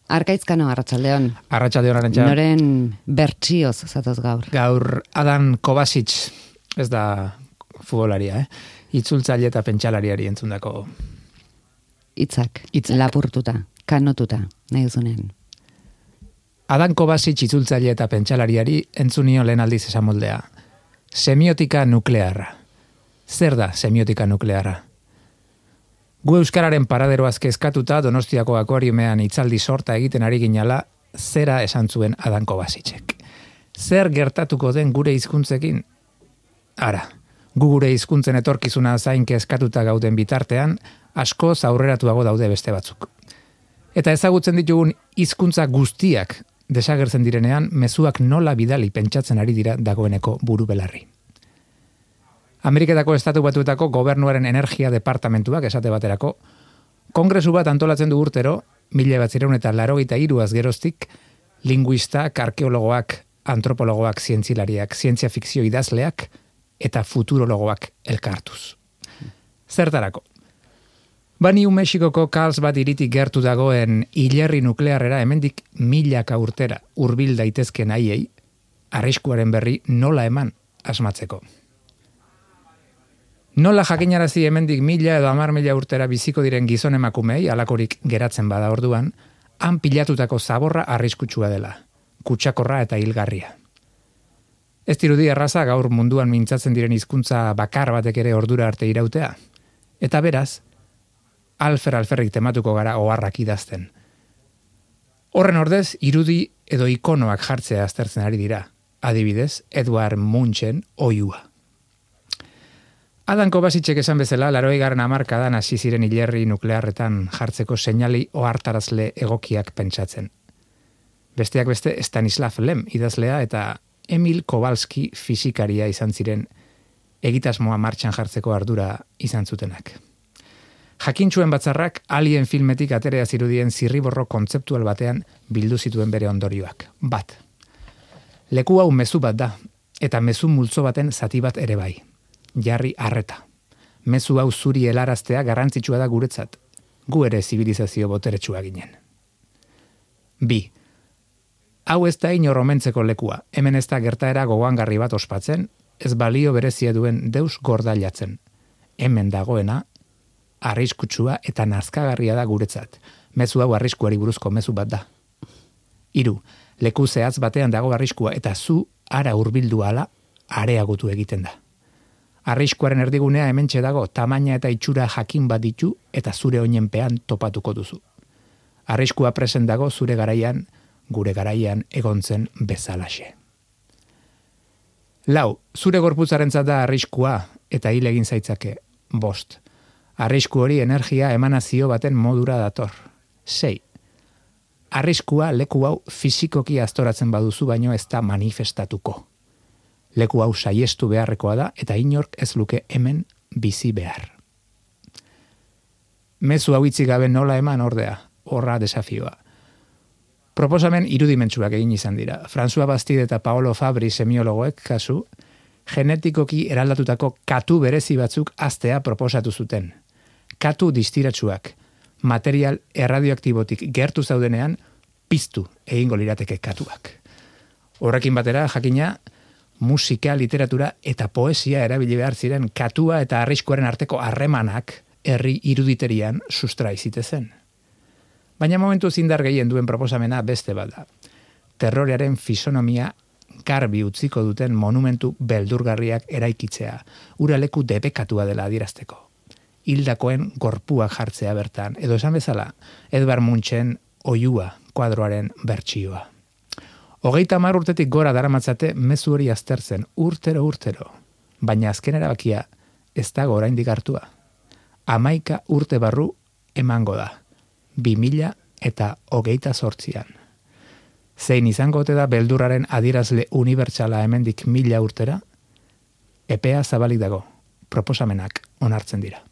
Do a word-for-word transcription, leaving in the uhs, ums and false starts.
Arkaitzkano, Arratsaldeon. Arratsaldeon, Arantxa. Noren bertsioz zatoz gaur. Gaur Adan Kovacic, ez da futbolaria, eh? Itzultzaile eta pentsalariari entzundako Hitzak, Hitzak. lapurtuta, kanotuta, nahi duzunean. Adan Kovacic itzultzaile eta pentsalariari entzunio lehen aldiz esan moldea. Semiotika nuklearra. Zer da semiotika nuklearra? Gu euskararen paraderoaz kezkatuta Donostiako akuariumean itzaldi sorta egiten ari ginala, zera esan zuen Adan Kovacicek. Zer gertatuko den gure hizkuntzekin? Ara, gu gure hizkuntzen etorkizuna zain kezkatuta gauden bitartean, asko aurreratuago daude beste batzuk. Eta ezagutzen ditugun hizkuntza guztiak desagertzen direnean, mezuak nola bidali pentsatzen ari dira dagoeneko buru belarri. Ameriketako Estatu Batuetako gobernuaren energia departamentuak esate baterako, kongresu bat antolatzen du urtero, mila batzireun eta laurogeita hiruaz geroztik, linguistak, arkeologoak, antropologoak, zientzilariak, zientzia fikzio idazleak eta futurologoak elkartuz. Zertarako? Ba New Mexikoko Carlsbad hiritik gertu dagoen hilerri nuklearrera hemendik milaka urtera hurbil daitezken haiei, arriskuaren berri nola eman asmatzeko. Nola jakinarazi hemendik mila edo hamar mila urtera biziko diren gizon emakumei, alakorik geratzen bada orduan, han pilatutako zaborra arriskutsua dela, kutsakorra eta hilgarria. Ez dirudi erraza gaur munduan mintzatzen diren hizkuntza bakar batek ere ordura arte irautea, eta beraz, alfer alferrik tematuko gara oharrak idazten. Horren ordez, irudi edo ikonoak jartzea aztertzen ari dira, adibidez, Edward Munchen oihua. Adan Kovacicek esan bezala, laurogeigarren hamarkadan hasi ziren hilerri nuklearretan jartzeko seinali ohartarazle egokiak pentsatzen. Besteak beste Stanislav Lem idazlea eta Emil Kowalski fisikaria izan ziren egitasmoa martxan jartzeko ardura izan zutenak. Jakintsuen batzarrak Alien filmetik aterea zirudien zirriborro kontzeptual batean bildu zituen bere ondorioak. Bat. Leku hau mezu bat da, eta mezu multzo baten zati bat ere bai. Jarri arreta. Mezu hau zuri helaraztea garrantzitsua da guretzat. Gu ere zibilizazio boteretsua ginen. Bi. Hau ez da inor omentzeko lekua. Hemen ez da gertaera gogoangarri bat ospatzen, ez balio berezia duen deus gordailatzen. Hemen dagoena, arriskutsua eta nazkagarria da guretzat. Mezu hau arriskuari buruzko mezu bat da. Hiru. Leku zehatz batean dago arriskua eta zu ara hurbildu ala areagotu egiten da. Arriskuaren erdigunea hementxe dago, tamaina eta itxura jakin bat ditu eta zure oinenpean topatuko duzu. Arriskua presen dago zure garaian, gure garaian egontzen bezalaxe. Lau, zure gorputzarentzat da arriskua eta hil egin zaitzake. Bost, arrisku hori energia emanazio baten modura dator. Sei, arriskua leku hau fisikoki aztoratzen baduzu baino ez da manifestatuko. Leku hau saiestu beharrekoa da eta inork ez luke hemen bizi behar. Mezu hau itzi gabe nola eman ordea, horra desafioa. Proposamen irudimentsuak egin izan dira. François Bastide eta Paolo Fabri semiologoek kasu, genetikoki eraldatutako katu berezi batzuk aztea proposatu zuten. Katu distiratsuak, material erradioaktibotik gertu zaudenean, piztu egingo lirateke katuak. Horrekin batera, jakina, musika, literatura eta poesia erabili behar ziren katua eta arriskuaren arteko harremanak herri iruditerian sustrai zitezen. Baina momentu zindar gehien duen proposamena beste bada. Terrorearen fisonomia garbi utziko duten monumentu beldurgarriak eraikitzea, ura leku debekatua dela adierazteko. Hildakoen gorpuak jartzea bertan, edo esan bezala, Edward Munchen oihua kuadroaren bertsioa. Hogeita hamar urtetik gora daramatzate mezu hori aztertzen, urtero urtero, baina azken erabakia ez dago oraindik hartua. Hamaika urte barru emango da, bi mila eta hogeita zortzian. Zein izango ote da beldurraren adierazle unibertsala hemendik mila urtera? Epea zabalik dago, proposamenak onartzen dira.